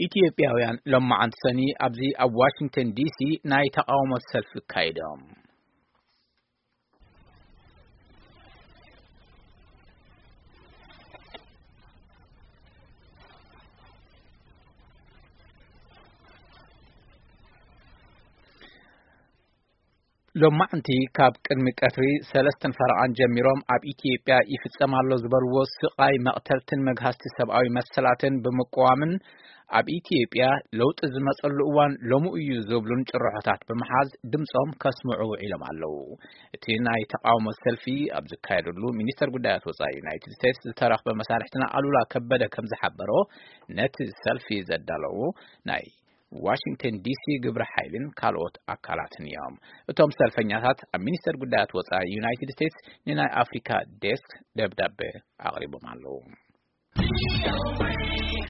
ኢትዮጵያውያን ሎማዓንቲ ሰኒ ኣብዚ ኣብ ዋሽንግተን ዲሲ ናይ ተቓውሞ ሰልፊ ኣካይዶም። ሎማዕንቲ ካብ ቅድሚ ቀትሪ ሰለስተን ፈረቓን ጀሚሮም ኣብ ኢትዮጵያ ይፍጸም ኣሎ ዝበልዎ ስቓይ፣ መቕተልትን መግሃስቲ ሰብኣዊ መሰላትን ብምቅዋምን ኣብ ኢትዮጵያ ለውጢ ዝመጸሉ እዋን ሎሚ እዩ ዝብሉን ጭርሖታት ብምሓዝ ድምጾም ከስምዑ ውዒሎም ኣለዉ። እቲ ናይ ተቓውሞ ሰልፊ ኣብ ዝካየደሉ ሚኒስተር ጉዳያት ወጻኢ ዩናይትድ ስቴትስ ዝተረኽበ መሳርሕትና ኣሉላ ከበደ ከም ዝሓበሮ፣ ነቲ ሰልፊ ዘዳለዉ ናይ ዋሽንግተን ዲሲ ግብረ ሓይልን ካልኦት ኣካላትን እዮም። እቶም ሰልፈኛታት ኣብ ሚኒስተር ጉዳያት ወጻኢ ዩናይትድ ስቴትስ ንናይ ኣፍሪካ ዴስክ ደብዳቤ ኣቕሪቦም ኣለዉ።